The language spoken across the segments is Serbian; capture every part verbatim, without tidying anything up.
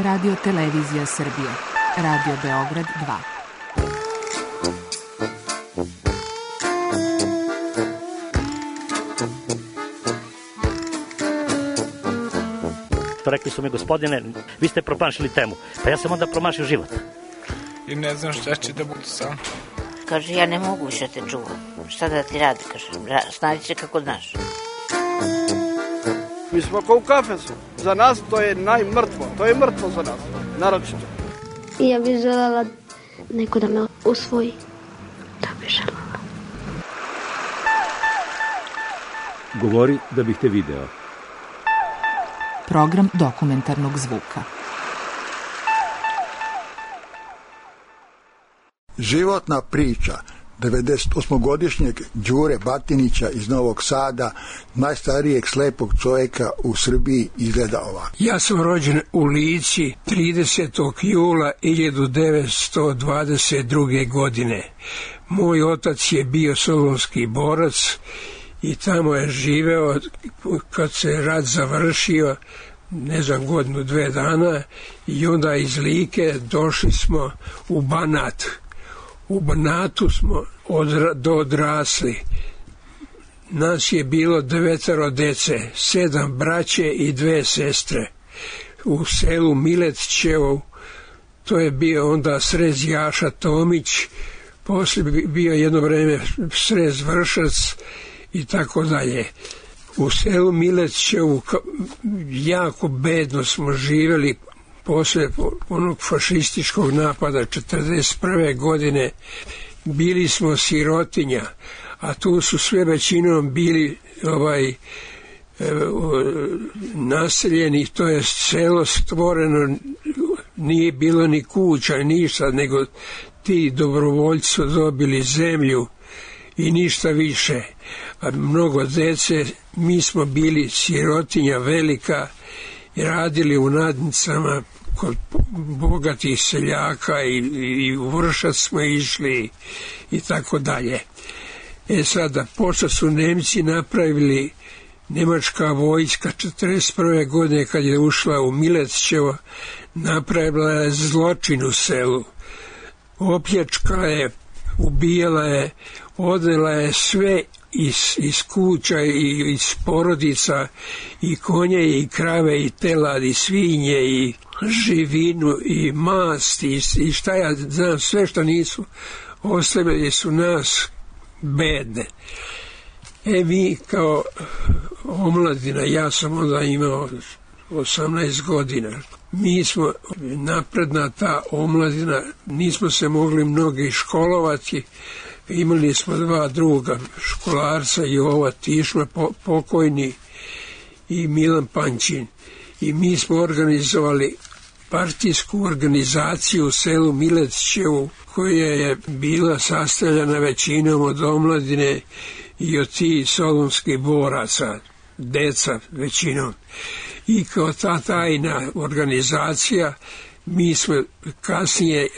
Radio Televizija Srbije, Radio Beograd dva. Rekli su mi, gospodine, vi ste promašili temu. Pa ja sam onda promašio život. I ne znam šta će da bude sam. Kaže, ja ne mogu više te čuvam. Šta da ti radi, kaže, snađi se kako znaš. Mi smo kao u kafesu. Za nas to je najmrtvo. To je mrtvo za nas, naročito. I ja bih želela neko da me usvoji. Da bih želela. Govori da bih te video. Program dokumentarnog zvuka. Životna priča devedesetosmogodišnjeg Đure Batinića iz Novog Sada, najstarijeg slepog čovjeka u Srbiji, izgleda ovako. Ja sam rođen u Lici tridesetog jula hiljadu devetsto dvadeset druge. godine. Moj otac je bio solunski borac i tamo je živeo kad se rat završio, ne znam, godinu, dve dana, i onda iz Like došli smo u Banat. U Banatu smo odra, odrasli. Nas je bilo devetero dece, sedam braće i dve sestre. U selu Miletčevo, to je bio onda srez Jaša Tomić, poslije bio jedno vreme srez Vršac i tako dalje. U selu Miletčevu jako bedno smo živjeli posle onog fašističkog napada četrdeset prve. godine. Bili smo sirotinja, a tu su sve većinom bili ovaj e, naseljeni, to je selo stvoreno, nije bilo ni kuća, ništa, nego ti dobrovoljci su dobili zemlju i ništa više. A mnogo dece, mi smo bili sirotinja velika i radili u nadnicama kod bogatih seljaka i, i u Vršac smo išli i tako dalje. E sada, pošto su Nemci napravili, nemačka vojska četrdeset prve. godine kad je ušla u Miletčevo, napravila je zločin u selu. Opljačkala je, ubijala je, odnela je sve iz, iz kuća i iz porodica, i konje i krave i telad i svinje i živinu i mast i, i šta ja znam, sve što nisu ostavili su nas bedne. E mi kao omladina, ja sam onda imao osamnaest godina, mi smo napredna ta omladina, nismo se mogli mnogi školovati. Imali smo dva druga školarca, Jova Tišma pokojni i Milan Pančin, i mi smo organizovali partijsku organizaciju u selu Miletčevu, koja je bila sastavljena većinom od omladine i od tih solunskih boraca, deca većinom. I kao ta tajna organizacija mi smo kasnije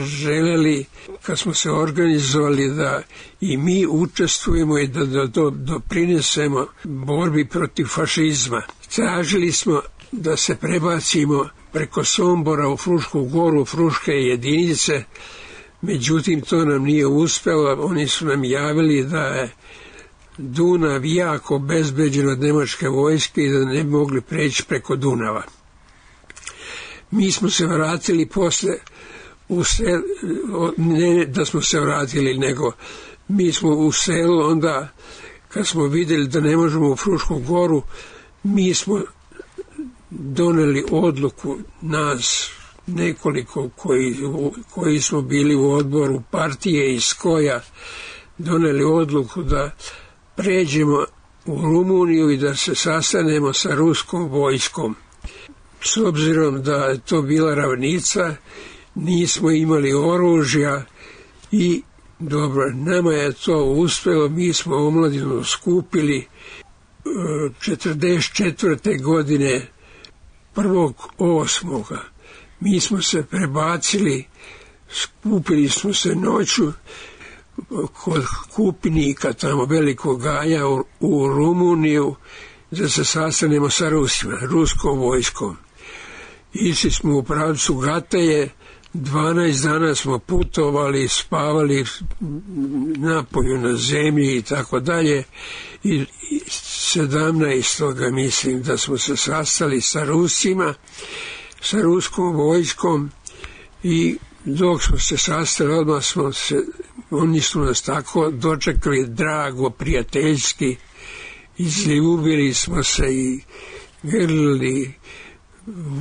želeli, kad smo se organizovali, da i mi učestvujemo i da, da, da doprinesemo borbi protiv fašizma. Tražili smo da se prebacimo preko Sombora u Frušku goru, Fruške jedinice, međutim to nam nije uspelo. Oni su nam javili da je Dunav jako obezbeđen od nemačke vojske i da ne bi mogli preći preko Dunava. Mi smo se vratili posle u selu, ne da smo se vratili, nego mi smo u selu onda, kad smo vidjeli da ne možemo u Frušku goru, mi smo doneli odluku, nas nekoliko koji, koji smo bili u odboru partije iz Skoja, doneli odluku da pređemo u Rumuniju i da se sastanemo sa ruskom vojskom. S obzirom da je to bila ravnica, nismo imali oružja i dobro, nama je to uspjelo, mi smo omladinu skupili četrdeset četvrte. godine, prvog osmoga Mi smo se prebacili, skupili smo se noću kod Kupinika, tamo velikog Gaja u, u Rumuniju, da se sastanemo sa Rusima, ruskom vojskom. Išli smo u pravcu Gataje, dvanaest dana smo putovali, spavali napolju na zemlji i tako dalje. I sedamnaestog mislim da smo se sastali sa Rusima, sa ruskom vojskom i dok smo se sastali, odmah smo se, oni su nas tako dočekali drago, prijateljski, izljubili smo se i grlili,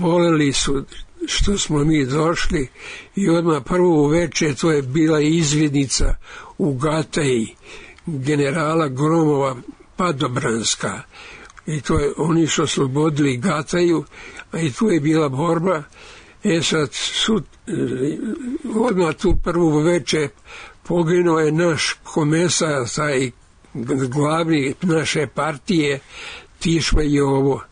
voleli su što smo mi došli i odmah prvo uveče to je bila izvidnica u Gataji generala Gromova Padobranska i to je, oni su oslobodili Gataju, a i tu je bila borba. E sad su odmah tu prvu veče poginuo je naš komesar, taj glavni naše partije, Tišma Jovo.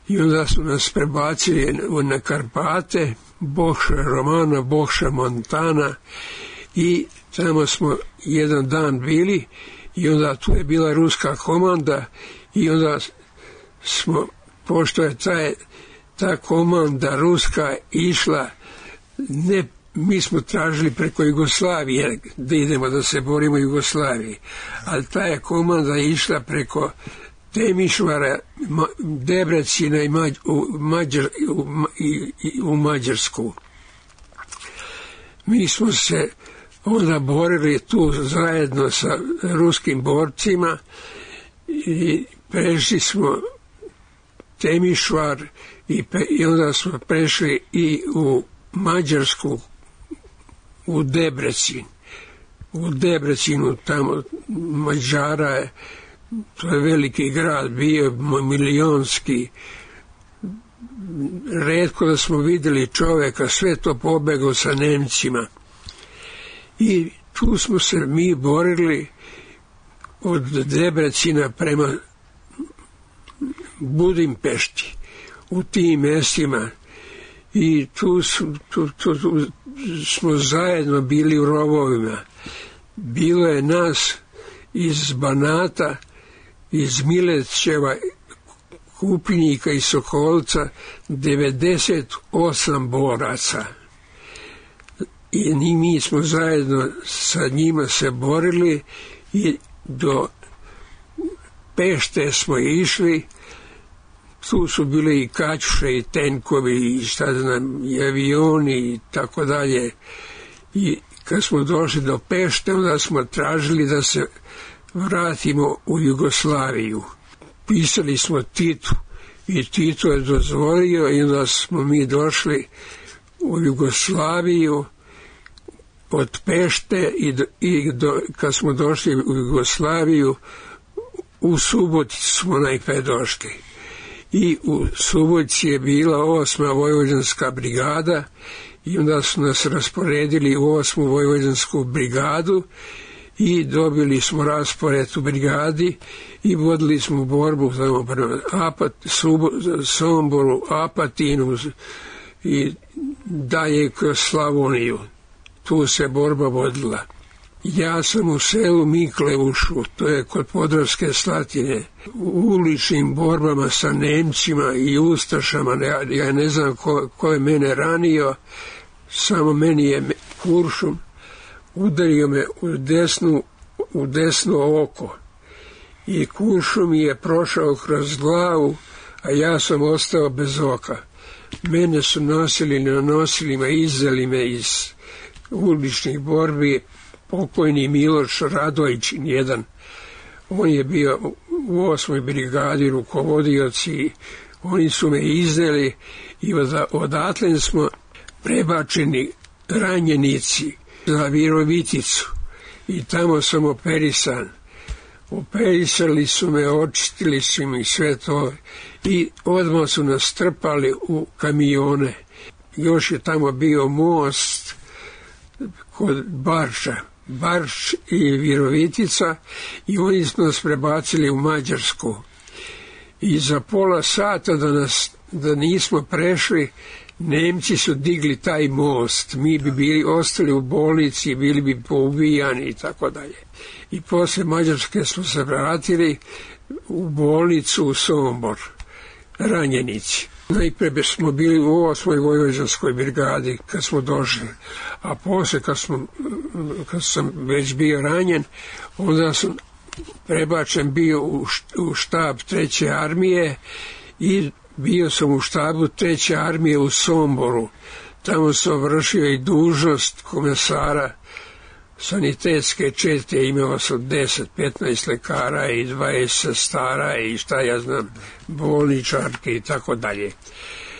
I onda su nas prebacili na Karpate, Bokša Romana, Bokša Montana i tamo smo jedan dan bili i onda tu je bila ruska komanda i onda smo, pošto je taj, ta komanda ruska išla, ne, mi smo tražili preko Jugoslavije da idemo da se borimo u Jugoslaviji, ali ta je komanda išla preko Temišvara, Debrecina i Mađ, u, Mađar, u, i, i, u Mađarsku. Mi smo se onda borili tu zajedno sa ruskim borcima i prešli smo Temišvar i, pe, i onda smo prešli i u Mađarsku, u Debrecin. U Debrecinu tamo Mađara je, to je veliki grad, bio milionski. Retko da smo vidjeli čovjeka, sve to pobegao sa Nemcima. I tu smo se mi borili od Debrecina prema Budimpešti, u tim mjestima. I tu, su, tu, tu, tu smo zajedno bili u rovovima. Bilo je nas iz Banata, iz Milećeva, Kupinjika i Sokolca devedeset osam boraca. I mi smo zajedno sa njima se borili i do Pešte smo išli. Tu su bili i kaćuše i tenkovi i šta znam, i avioni i tako dalje. I kad smo došli do Pešte, onda smo tražili da se vratimo u Jugoslaviju. Pisali smo Titu i Tito je dozvolio i onda smo mi došli u Jugoslaviju od Pešte i, do, i do, kad smo došli u Jugoslaviju u Suboticu smo najpre došli. I u Subotici je bila osma vojvođanska brigada i onda su nas rasporedili u osmu vojvođansku brigadu i dobili smo raspored u brigadi i vodili smo borbu tamo prema Apat, Subo, Somboru, Apatinu i dalje kroz Slavoniju. Tu se borba vodila. Ja sam u selu Miklevušu, to je kod Podravske Slatine, u uličnim borbama sa Nemcima i Ustašama, ja, ja ne znam ko, ko je mene ranio, samo meni je kuršum udario me u desnu, u desno oko i kuršum mi je prošao kroz glavu, a ja sam ostao bez oka. Mene su nosili na nosilima, izdali me iz uličnih borbi pokojni Miloš Radojčin jedan. On je bio u osmoj brigadi rukovodioc i oni su me izdali i odatle smo prebačeni ranjenici za Viroviticu i tamo sam operisan. Operisali su me, očistili su mi sve to i odmah su nas strpali u kamione. Još je tamo bio most kod Barša, Barš i Virovitica i oni su nas prebacili u Mađarsku. I za pola sata da, nas, da nismo prešli, Nemci su digli taj most, mi bi bili ostali u bolnici, bili bi poubijani i tako dalje. I posle Mađarske smo se vratili u bolnicu u Sombor, ranjenici. Najprije smo bili u osmoj vojvođanskoj brigadi kad smo došli, a posle kad, smo, kad sam već bio ranjen, onda sam prebačen bio u štab treće armije i bio sam u štabu treće armije u Somboru. Tamo sam vršio i dužnost komesara sanitetske čete, imao sam deset petnaest lekara i dvadeset sestara i šta ja znam, bolničarke i tako dalje.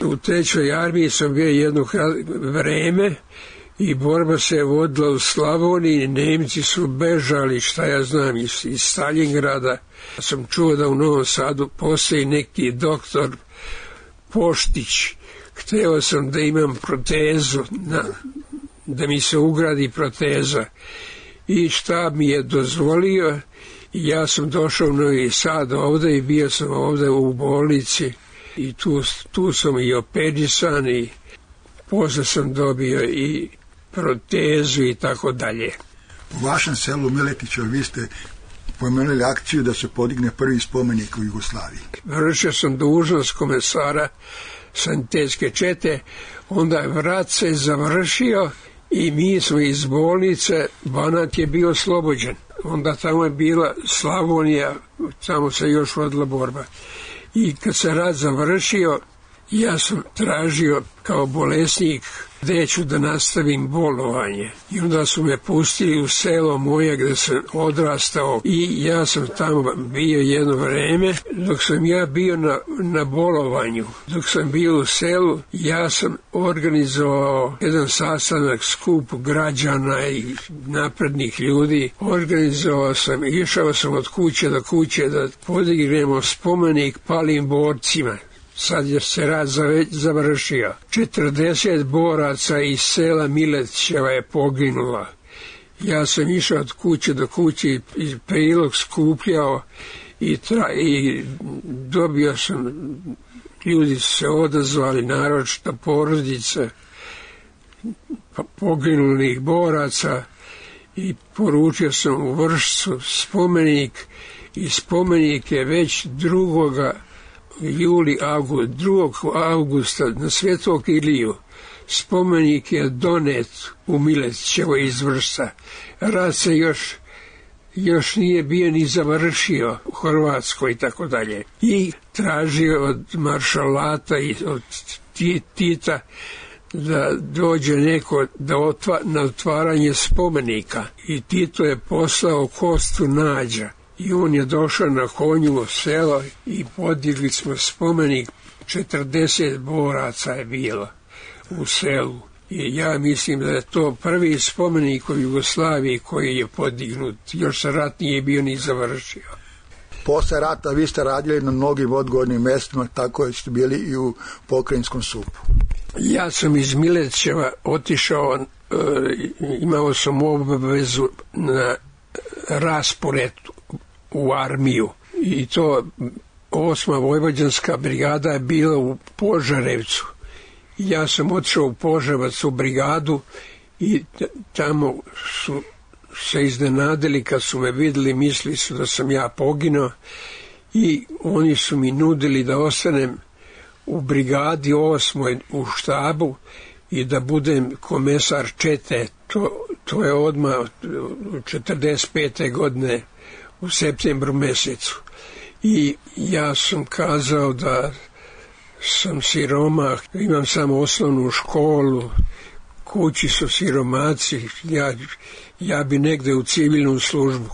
U trećoj armiji sam bio jedno vreme i borba se vodila u Slavoniji, Nemci su bežali, šta ja znam, iz, iz Stalingrada. Sam čuo da u Novom Sadu postoji neki doktor Poštić. Hteo sam da imam protezu, na, da mi se ugradi proteza. I štab mi je dozvolio i ja sam došao u Novi Sad ovde i bio sam ovde u bolnici i tu, tu sam i operisan i posle sam dobio i protezu i tako dalje. U vašem selu Miletiću vi ste pomenuli akciju da se podigne prvi spomenik u Jugoslaviji. Vršio sam dužnost komesara sanitetske čete, onda je vrat se završio i mi smo iz bolnice, Banat je bio oslobođen. Onda tamo je bila Slavonija, tamo se još vodila borba. I kad se rat završio, ja sam tražio kao bolesnik gde ću da nastavim bolovanje. I onda su me pustili u selo moje gde sam odrastao i ja sam tamo bio jedno vreme. Dok sam ja bio na, na bolovanju, dok sam bio u selu, ja sam organizovao jedan sastanak, skup građana i naprednih ljudi. Organizovao sam, išao sam od kuće do kuće da podignemo spomenik palim borcima. Sad je se rat završio. četrdeset boraca iz sela Miletićeva je poginula. Ja sam išao od kuće do kuće i prilog skupljao i, tra, i dobio sam, ljudi su se odazvali, naročito porodice poginulih boraca i poručio sam u Vršcu spomenik i spomenik je već drugoga juli, avgust, drugog avgusta na Svetog Iliju. Spomenik je donet u Miletićevoj iz Vršca. Rat se još, još nije bio ni završio u Hrvatskoj i tako dalje. I tražio od maršalata i od Tita da dođe neko da otva, na otvaranje spomenika. I Tito je poslao Kostu Nađa. I on je došao na konju u selo i podigli smo spomenik, četrdeset boraca je bilo u selu. I ja mislim da je to prvi spomenik u Jugoslaviji koji je podignut, još se rat nije bio ni završio. Posle rata vi ste radili na mnogim odgovornim mjestima, tako ste bili i u Pokrajinskom supu. Ja sam iz Miletićeva otišao, e, imao sam obavezu na raspored u armiju i to osma vojvođanska brigada je bila u Požarevcu. Ja sam otišao u Požarevac u brigadu i tamo su se iznenadili kad su me vidjeli, mislili su da sam ja poginuo i oni su mi nudili da ostanem u brigadi osmoj u štabu i da budem komesar čete. To, to je odmah četrdeset pete godine u septembru mesecu. I ja sam kazao da sam siromah, imam samo osnovnu školu, kući su siromaci, ja, ja bi negde u civilnu službu.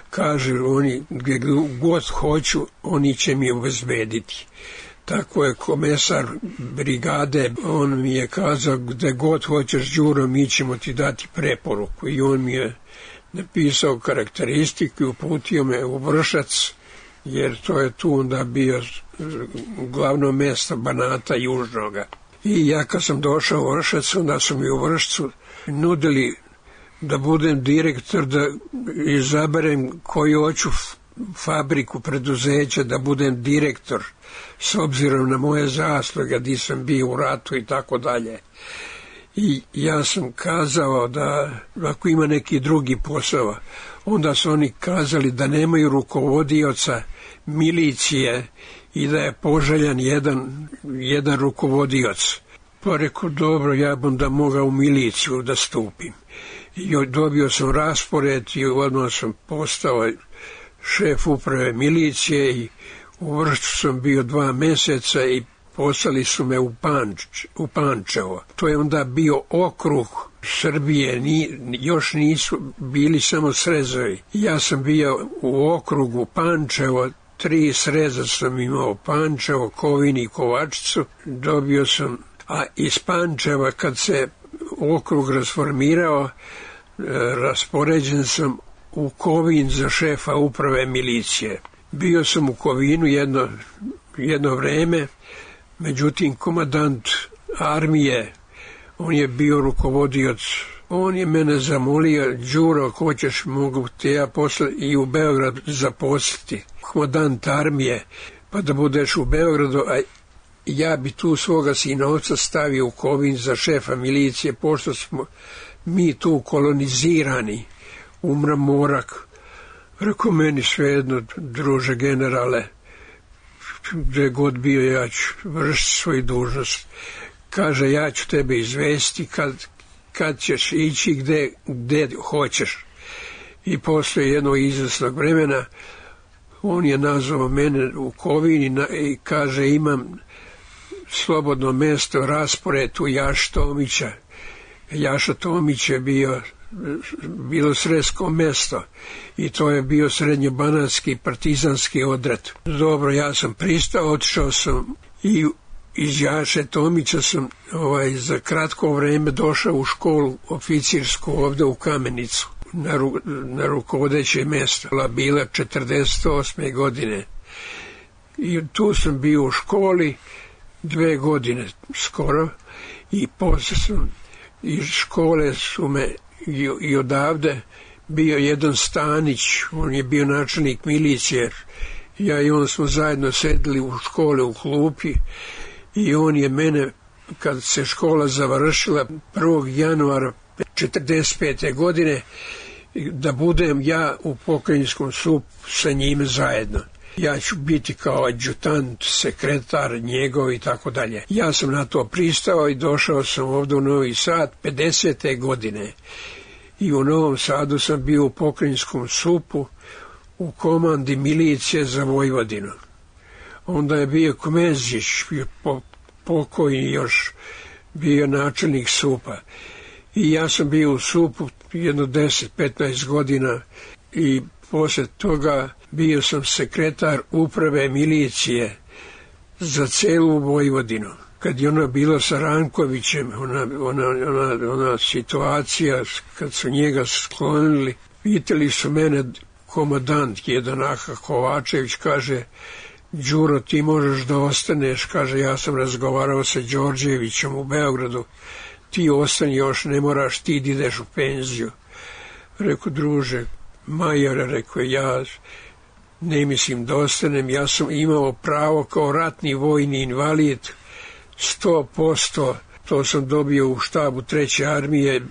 Kaže, oni gdje god hoću, oni će mi obezbediti. Tako je komesar brigade, on mi je kazao, gdje god hoćeš, Đuro, mi ćemo ti dati preporuku. I on mi je napisao karakteristike, uputio me u Vršac, jer to je tu onda bio glavno mjesto Banata južnoga. I ja kad sam došao u Vršac, onda su mi u Vršcu nudili da budem direktor, da izaberem koju hoću fabriku, preduzeća, da budem direktor, s obzirom na moje zasluge, gdje sam bio u ratu i tako dalje. I ja sam kazao da ako ima neki drugi posao, onda su oni kazali da nemaju rukovodioca milicije i da je poželjan jedan, jedan rukovodioc. Pa rekao, dobro, ja bom da mogao u miliciju da stupim. I dobio sam raspored i odmah sam postao šef uprave milicije i u Vršcu sam bio dva meseca i poslali su me u, Panč, u Pančevo. To je onda bio okrug Srbije, ni, još nisu bili samo srezovi. Ja sam bio u okrugu Pančevo, tri sreza sam imao, Pančevo, Kovin i Kovačicu. Dobio sam, a iz Pančeva kad se okrug rasformirao, raspoređen sam u Kovin za šefa uprave milicije. Bio sam u Kovinu jedno, jedno vreme, međutim komandant armije, on je bio rukovodioc, on je mene zamolio, Đuro, ako hoćeš, mogu te ja posle i u Beograd zaposliti. Komandant armije, pa da budeš u Beogradu, a ja bi tu svoga sinovca stavio u Kovin za šefa milicije, pošto smo mi tu kolonizirani, umra morak. Rekao, meni svejedno, druže generale, gde god bio, ja ću vršiti svoju dužnost. Kaže, ja ću tebe izvesti kad, kad ćeš ići gde, gde hoćeš. I posle jednog izvesnog vremena on je nazvao mene u Kovini i kaže, imam slobodno mesto, raspored u Jaša Tomića. Jaša Tomić je bio bilo sredsko mesto i to je bio srednjobanatski partizanski odred. Dobro, ja sam pristao, otišao sam i iz Jaše Tomića sam ovaj, za kratko vreme došao u školu oficirsku ovde u Kamenicu na, ru, na rukovodeće mesto. Bila četrdeset osme godine i tu sam bio u školi dve godine skoro i posle sam iz škole su me i, i odavde bio jedan Stanić, on je bio načelnik milicije, ja i on smo zajedno sedeli u škole u klupi i on je mene, kad se škola završila prvog januara četrdeset pete godine, da budem ja u pokrajinskom supu sa njime zajedno. Ja ću biti kao adjutant, sekretar njegov i tako dalje. Ja sam na to pristao i došao sam ovdje u Novi Sad pedesete godine. I u Novom Sadu sam bio u pokrajinskom supu u komandi milicije za Vojvodinu. Onda je bio Kmezić, pokojni još, bio načelnik supa. I ja sam bio u supu jedno deset petnaest godina i posle toga bio sam sekretar uprave milicije za celu Vojvodinu. Kad je ona bila sa Rankovićem, ona, ona, ona, ona situacija, kad su njega sklonili, pitali su mene, komandant jedan Aha Kovačević, kaže, Đuro, ti možeš da ostaneš, kaže, ja sam razgovarao sa Đorđevićem u Beogradu, ti ostani još, ne moraš, ti ideš u penziju. Rekao, druže, majore, rekao, ja ne mislim da ostanem, ja sam imao pravo kao ratni vojni invalid, sto posto, to sam dobio u štabu treće armije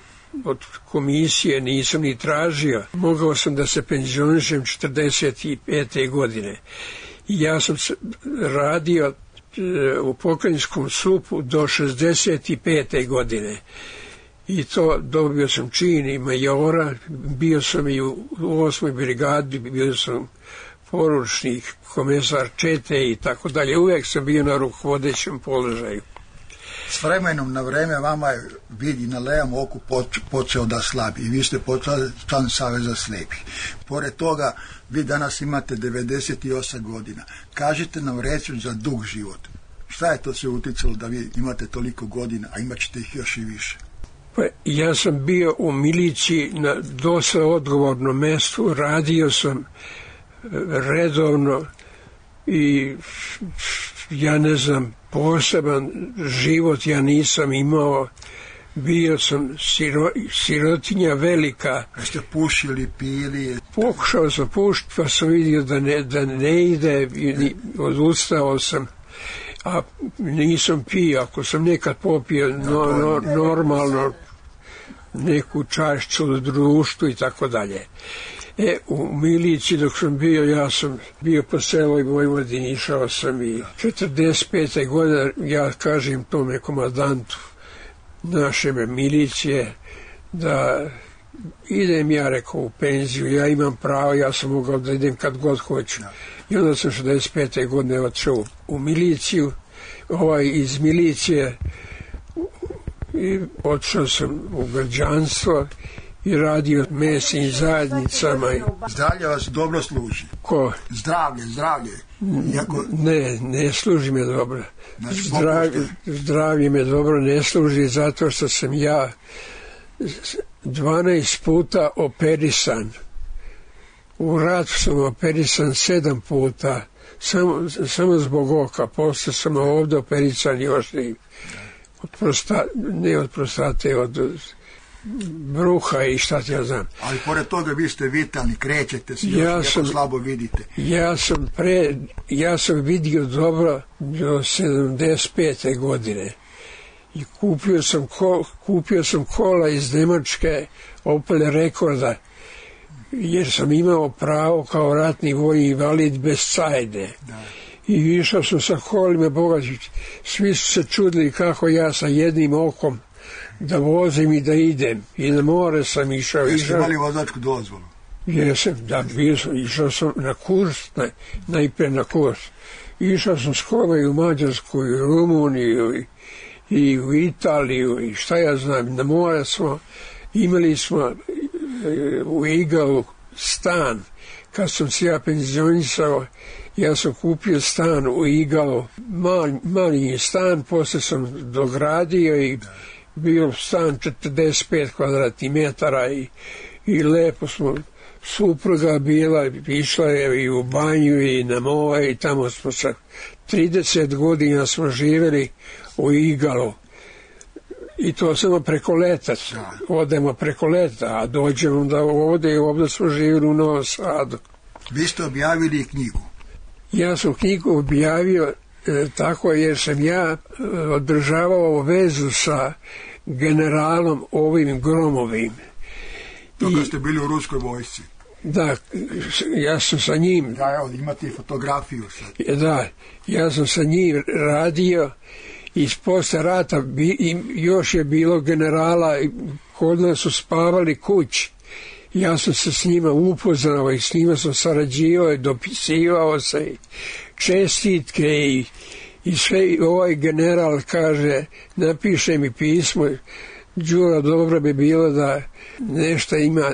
od komisije, nisam ni tražio. Mogao sam da se penzionišem četrdeset pete godine. I ja sam radio u pokrajinskom supu do šezdeset pete godine. I to dobio sam čin i majora, bio sam i u osmoj brigadi, bio sam poručnik, komesar čete i tako dalje. Uvijek sam bio na rukovodećem položaju. S vremenom na vreme vama je vid i na levom oku počeo da slabi i vi ste počeli član Saveza slepih. Pored toga, vi danas imate devedeset osam godina. Kažite nam reći za dug život. Šta je to se uticalo da vi imate toliko godina, a imat ćete ih još i više? Pa, ja sam bio u miliciji na dosta odgovornom mestu, radio sam redovno i ja ne znam, poseban život ja nisam imao, bio sam siro, sirotinja velika. Jeste pušili, pili? Pokušao sam pušiti, pa sam vidio da ne, da ne ide i odustao sam, a nisam pio. Ako sam nekad popio no, no, normalno neku čašću u društvu i tako dalje. E, u miliciji dok sam bio, ja sam bio po celoj Vojvodini, išao sam i četrdeset pete godine, ja kažem tome komandantu naše milicije da idem, ja rekao, u penziju, ja imam pravo, ja sam mogao da idem kad god hoću. I onda sam šezdeset pete godine otišao u miliciju, ovaj iz milicije, i otišao sam u građanstvo i radio mesnim zajednicama. Zdravlje vas dobro služi? Ko? Zdravlje, zdravlje. Iako... Ne, ne služi me dobro. Zdravlje, zdravlje me dobro ne služi zato što sam ja dvanaest puta operisan. U ratu sam operisan sedam puta, samo, samo zbog oka. Posle sam ovdje operisan još i od prostate, ne od prostate, od bruha i šta ti ja znam. Ali pored toga vi ste vitalni, krećete se, ja još sam, slabo vidite. Ja sam, pre, ja sam vidio dobro do sedamdeset pete godine. I kupio sam, kol, kupio sam kola iz Nemačke, Opel Rekorda, jer sam imao pravo kao ratni vojni invalid bez cajde. Da. I išao sam sa kolima, Boga, svi su se čudili kako ja sa jednim okom da vozim i da idem. I na more sam išao. Jeste imali vozačku dozvolu? Jesam, da, bio sam, išao sam na kurs, na, najprije na kurs. Išao sam s kolima i u Mađarsku, i u Rumuniju, i, i u Italiju, i šta ja znam, na more smo, imali smo u Igalu stan. Kad sam se ja penzionisao, ja sam kupio stan u Igalu, mali, mali stan, posle sam dogradio i bio stan četrdeset pet kvadratnih metara i, i lepo smo, supruga bila, išla je i u banju i na more i tamo smo sa trideset godina smo živjeli u Igalu. I to samo preko leta, odemo preko leta, a dođemo da ovdje i ovdje smo živjeli u Novom Sadu. Vi ste objavili knjigu? Ja sam knjigu objavio e, tako jer sam ja e, održavao vezu sa generalom ovim Gromovim. To kad ste bili u ruskoj vojsci? Da, ja sam sa njim... Da, evo, imate i fotografiju sad. Da, ja sam sa njim radio i posle rata bi, još je bilo generala, kod nas su spavali kući. Ja sam se s njima upoznao i s njima sam sarađivao i dopisivao se, čestitke i, i sve. Ovaj general kaže, napiše mi pismo, Đuro, dobro bi bilo da nešto ima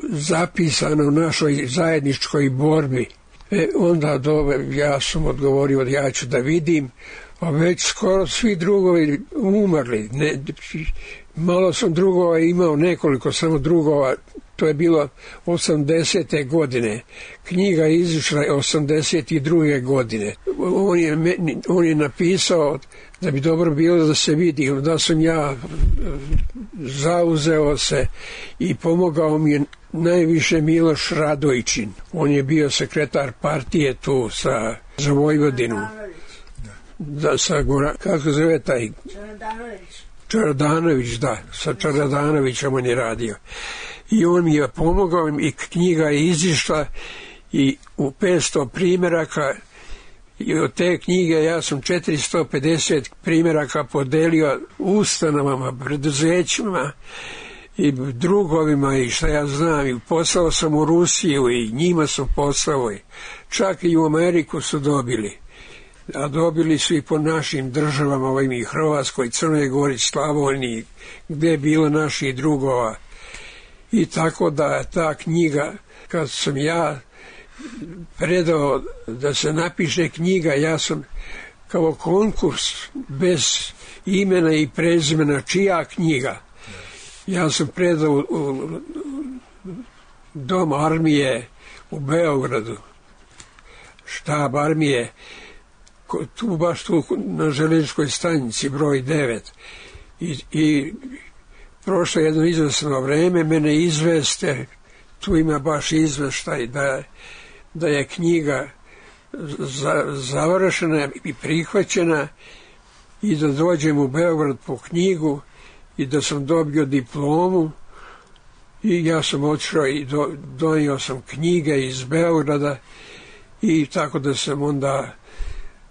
zapisano u našoj zajedničkoj borbi. E, onda dobro, ja sam odgovorio, ja ću da vidim, a već skoro svi drugovi umrli. Ne, malo sam drugova imao, nekoliko samo drugova, to je bilo osamdesete godine. Knjiga je izišla osamdeset druge godine. On je, on je napisao da bi dobro bilo da se vidi. Onda sam ja zauzeo se i pomogao mi je najviše Miloš Radojčin. On je bio sekretar partije tu sa, za Vojvodinu. Da, sa Gora, kako zove taj? Čaradanović. Čaradanović, da. Sa Čaradanovićem on je radio. I on mi je pomogao i knjiga je izišla i u petsto primjeraka i od te knjige ja sam četiristo pedeset primjeraka podelio ustanovama, preduzećima i drugovima i šta ja znam. I poslao sam u Rusiju i njima sam poslao. Čak i u Ameriku su dobili. A dobili su i po našim državama, ovim i Hrvatskoj, Crnoj Gori, Slavoniji, gdje je bilo naših drugova. I tako da ta knjiga, kad sam ja predao da se napiše knjiga, ja sam kao konkurs bez imena i prezimena čija knjiga. Ja sam predao u, u dom armije u Beogradu, štab armije, tu baš tu na željezničkoj stanici broj devet. I, i prošlo jedno izvesno vreme, mene izveste, tu ima baš izveštaj da, da je knjiga za, završena i prihvaćena i da dođem u Beograd po knjigu i da sam dobio diplomu I ja sam otišao i do, donio sam knjige iz Beograda i tako da sam onda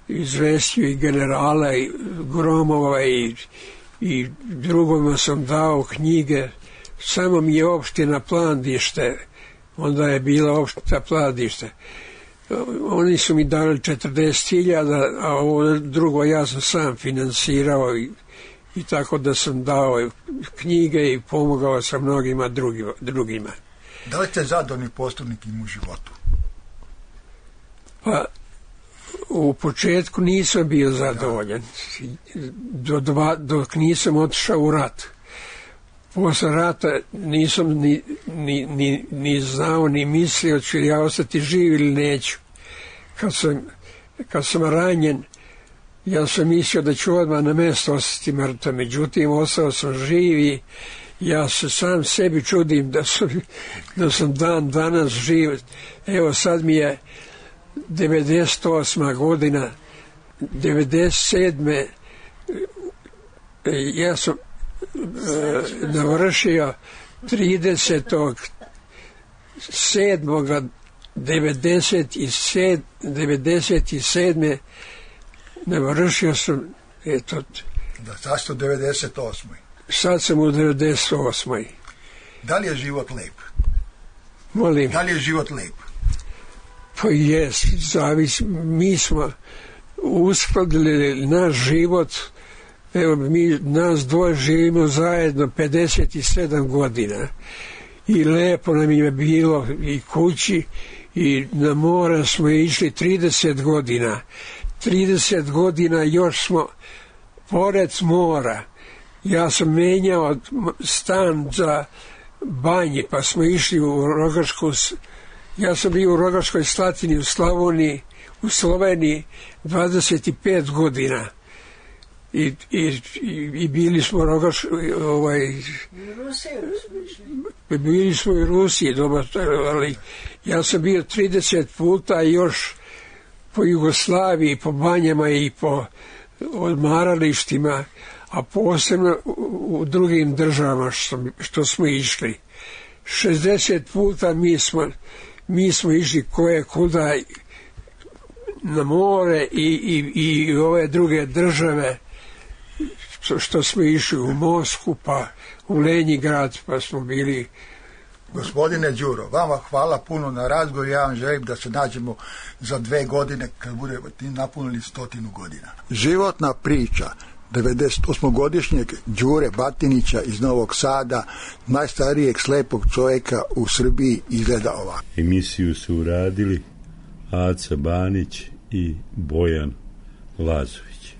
izvestio i generala i Gromova i, i drugoma sam dao knjige. Samo mi je opština Plandište, onda je bila opština Plandište. Oni su mi dali četrdeset hiljada, a ovo drugo ja sam sam finansirao i, i tako da sam dao knjige i pomogao sam mnogima drugima. drugima. Da li ste zadovoljni postupnikom u životu? Pa, u početku nisam bio zadovoljan, do dva, dok nisam otišao u rat. Posle rata nisam ni, ni, ni, ni znao, ni mislio ću ja ostati živ ili neću. Kad sam, kad sam ranjen, ja sam mislio da ću odmah na mesto ostati mrtav. Međutim, ostao sam živ i ja se sam sebi čudim da sam, da sam dan danas živ. Evo sad mi je devedeset osma godina, devedeset sedme ja sam e, navršio tridesetog sedmog devedeset sedme navršio sam, eto, da, sad ste u devedeset osmoj Sad sam u devedeset osmoj Da li je život lep? Molim. Da li je život lep? Pa jes, zavis, mi smo uskladili naš život, evo mi, nas dvoje živimo zajedno pedeset sedam godina i lepo nam je bilo i kući i na mora smo išli trideset godina. trideset godina još smo pored mora. Ja sam menjao stan za banje, pa smo išli u Rogačku. Ja sam bio u Rogačkoj Slatini u Slavoniji, u Sloveniji dvadeset pet godina. I, i, i bili smo u Rogačkoj, ovaj, bili smo i u Rusiji, dobro, ali ja sam bio trideset puta još po Jugoslaviji, po banjama i po odmaralištima, a posebno u, u drugim državama što, što smo išli. šezdeset puta mi smo, mi smo išli koje kuda na more i, i, i ove druge države, što, što smo išli u Moskvu, pa u Lenjingrad, pa smo bili. Gospodine Đuro, vama hvala puno na razgovor. Ja vam želim da se nađemo za dve godine kad bude napunili stotinu godina. Životna priča devedeset osmogodišnjeg Đure Batinića iz Novog Sada, najstarijeg slepog čovjeka u Srbiji, izgleda ovako. Emisiju su uradili Aca Banić i Bojan Lazović.